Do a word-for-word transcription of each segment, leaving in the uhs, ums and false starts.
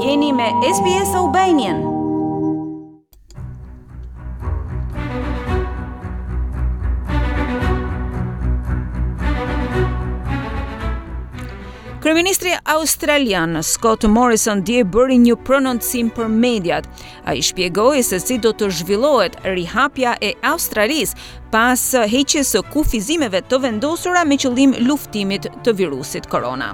Jeni me S B S Albanian. Kryeministri australian Scott Morrison dje bëri një prononcim për mediat. Ai shpjegoi se si do të zhvillohet rihapja e Australisë pas heqjes së kufizimeve të vendosura me qëllim luftimit të virusit korona.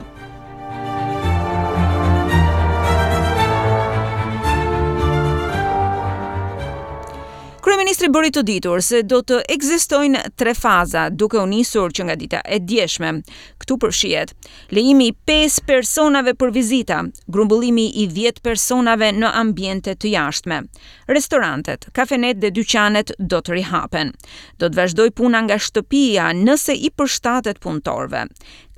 Kryeministri bëri të ditur se do të ekzistojnë tre faza, duke u nisur që nga dita e djeshme. Këtu përfshihet lejimi i pesë personave për vizita, grumbullimi i dhjetë personave në ambiente të jashtme. Restorantet, kafenet dhe dyqanet do të rihapen. Do të vazhdoj puna nga shtëpia nëse i përshtatet punëtorëve.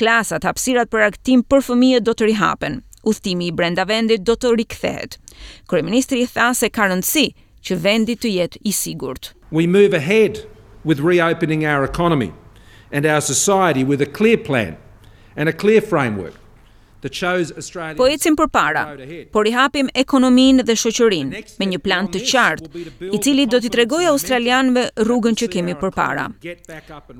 Klasat, hapësirat për argëtim për fëmijët do të rihapen. Udhtimi i brenda vendit do të rikthehet. Kryeministri tha se ka rëndësi që vendi të jetë i sigurt. We move ahead with reopening our economy and our society with a clear plan and a clear framework that shows Australia Po ecim përpara, po rihapim ekonominë dhe shoqërinë me një plan të qartë, i cili do t'i tregojë australianëve rrugën që kemi përpara.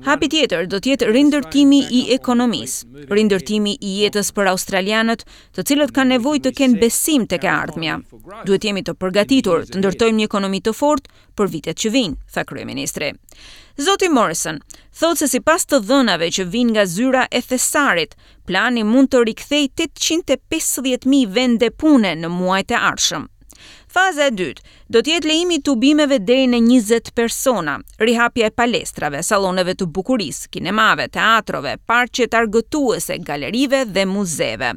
Hapi tjetër do të jetë rindërtimi i ekonomisë, rindërtimi i jetës për australianët, të cilët kanë nevojë të kenë besim tek e ardhmja. Duhet jemi të përgatitur të ndërtojmë një ekonomi të fortë për vitet që vijnë, tha kryeministri. Zoti Morrison thotë se sipas të dhënave që vijnë nga zyra e thesarit, plani mund të rikthej tetëqind e pesëdhjetë mijë vende pune në muajt e ardhshëm. Faza e dytë do të jetë lejimi i tubimeve deri në njëzet persona, rihapja e palestrave, salloneve të bukurisë, kinemave, teatrove, parqet argëtuese, galerive dhe muzeve.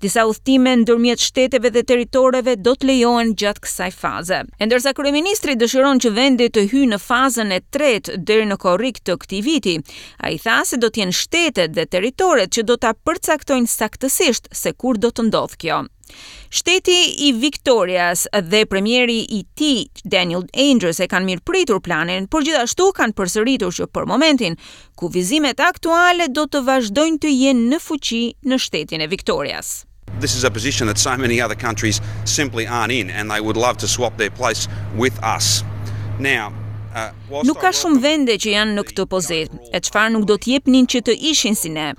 Disa udhëtime ndërmjet shteteve dhe territoreve do të lejohen gjatë kësaj faze. E ndërsa kryeministri dëshiron që vendi të hyjë në fazën e tretë deri në korrik të këtij viti, ai tha se do të jenë shtetet dhe territoret që do ta përcaktojnë saktësisht se kur do të ndodhë kjo. Shteti i Victorias dhe premieri i tij Daniel Andrews e kanë mirëpritur planin, por gjithashtu kanë përsëritur që për momentin kufizimet aktuale do të vazhdojnë të jenë në fuqi në shtetin e Victorias. This is a position that so many other countries simply aren't in, and they would love to swap their place with us. Now, uh, Nuk ka shumë vende që janë në këtë pozitë, e çfarë nuk do të jepnin që të ishin si ne.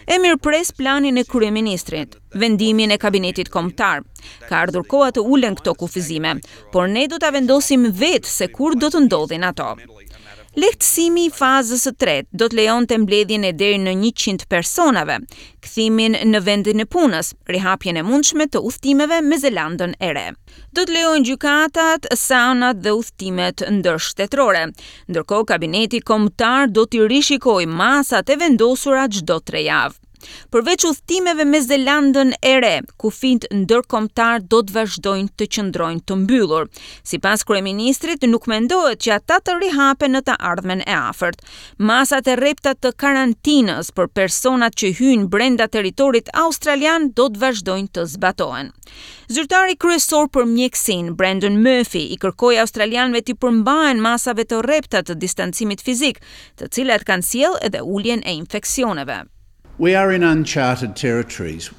E mirëpres planin e kryeministrit, vendimin e kabinetit kombëtar. Ka ardhur koha të ulen këto kufizime, por ne do ta vendosim vetë se kur do të ndodhin ato. Lehtësimi i fazës së tretë do të lejonte mbledhjen e deri në njëqind personave, kthimin në vendin e punës, rihapjen e mundshme të udhëtimeve me Zelandën e Re. Do të lejojnë gjykatat, saunat dhe udhëtimet ndërshtetërore. Ndërkohë, kabineti kombëtar do t'i rishikojë masat e vendosura çdo tre javë. Përveç udhëtimeve me Zelandën e Re, kufijtë ndërkombëtar do të vazhdojnë të qëndrojnë të mbyllur. Sipas kryeministrit, nuk mendohet që ata të rihapen në të ardhmen e afërt. Masat e rrepta të karantinës për personat që hyjnë brenda territorit australian do të vazhdojnë të zbatohen. Zyrtari kryesor për mjekësinë, Brendan Murphy, i kërkoi australianëve të përmbahen masave të rrepta të distancimit fizik, të cilat kanë sjellë edhe uljen e infeksioneve. We are in uncharted territories.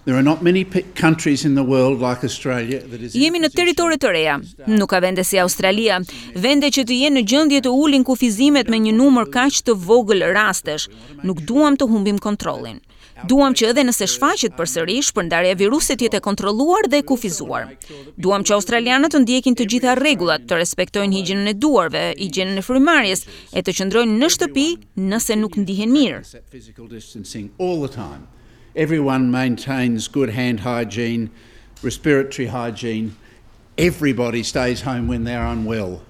There are not many countries in the world like Australia that is Jemi në territore të reja. Nuk ka vende si Australia, vende që të jenë në gjendje të ulin kufizimet me një numër kaq të vogël rastesh. Nuk duam të humbim kontrollin. Duam që edhe nëse shfaqet përsëri, shpërndarja e virusit të jetë e kontrolluar dhe e kufizuar. Duam që australianët të ndjekin të gjitha rregullat, të respektojnë higjienën e duarve, higjienën e frymëmarrjes e të qëndrojnë në shtëpi nëse nuk ndihen mirë. Physical distancing all the time. Everyone maintains good hand hygiene, respiratory hygiene. Everybody stays home when they're unwell.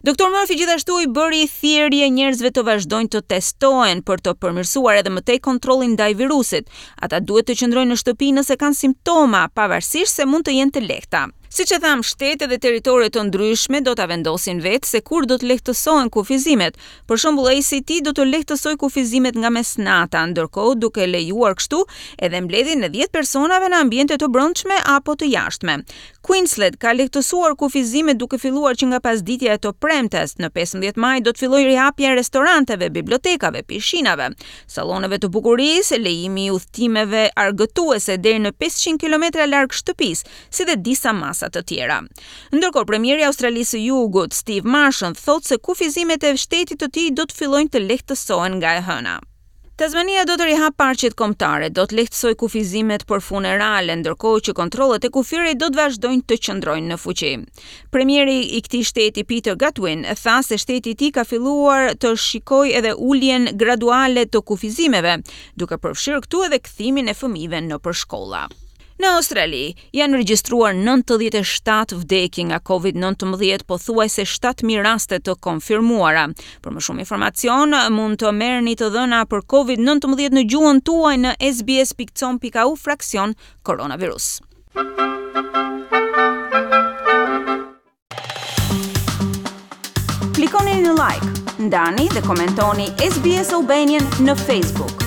Doktor Murphy gjithashtu i bëri thirrje njerëzve të vazhdojnë të testohen për të përmirësuar edhe më tej kontrollin ndaj virusit. Ata duhet të qëndrojnë në shtëpi nëse kanë simptoma, pavarësisht se mund të jenë të lehta. Siç e thamë, shtete dhe territore të ndryshme do ta vendosin vetë se kur do të lehtësohen kufizimet. Për shembull, A C T do të lehtësojë kufizimet nga mesnata, ndërkohë duke lejuar kështu edhe mbledhjen e dhjetë personave në ambiente të brendshme apo të jashtme. Queensland ka lehtësuar kufizimet duke filluar që nga pasditja e të premtes. Në pesëmbëdhjetë maj do të fillojë rihapja e restoranteve, bibliotekave, pishinave, salloneve të bukurisë, lejimi i udhëtimeve argëtuese deri në pesëqind kilometra larg shtëpisë, si dhe disa masa të tjera. Ndërkohë, premieri i Australisë së Jugut, Steve Marshall, thotë se kufizimet e shtetit të tij do të fillojnë të lehtësohen nga e hëna. Tasmania do të rihap parqet kombëtare, do të lehtësojë kufizimet për funerale, ndërkohë që kontrollet e kufirit do të vazhdojnë të qëndrojnë në fuqi. Premieri i këtij shteti, Peter Gutwein, tha se shteti i tij ka filluar të shikojë edhe uljen graduale të kufizimeve, duke përfshirë këtu edhe kthimin e fëmijëve nëpër shkolla. Në Australi janë regjistruar nëntëdhjetë e shtatë vdekje nga Covid nëntëmbëdhjetë, pothuajse shtatë mijë raste të konfirmuara. Për më shumë informacion mund të merrni të dhëna për Covid nëntëmbëdhjetë në gjuhën tuaj në S B S pikë com pikë A U fraksion koronavirus. Klikoni në like, ndani dhe komentoni S B S Albanian në Facebook.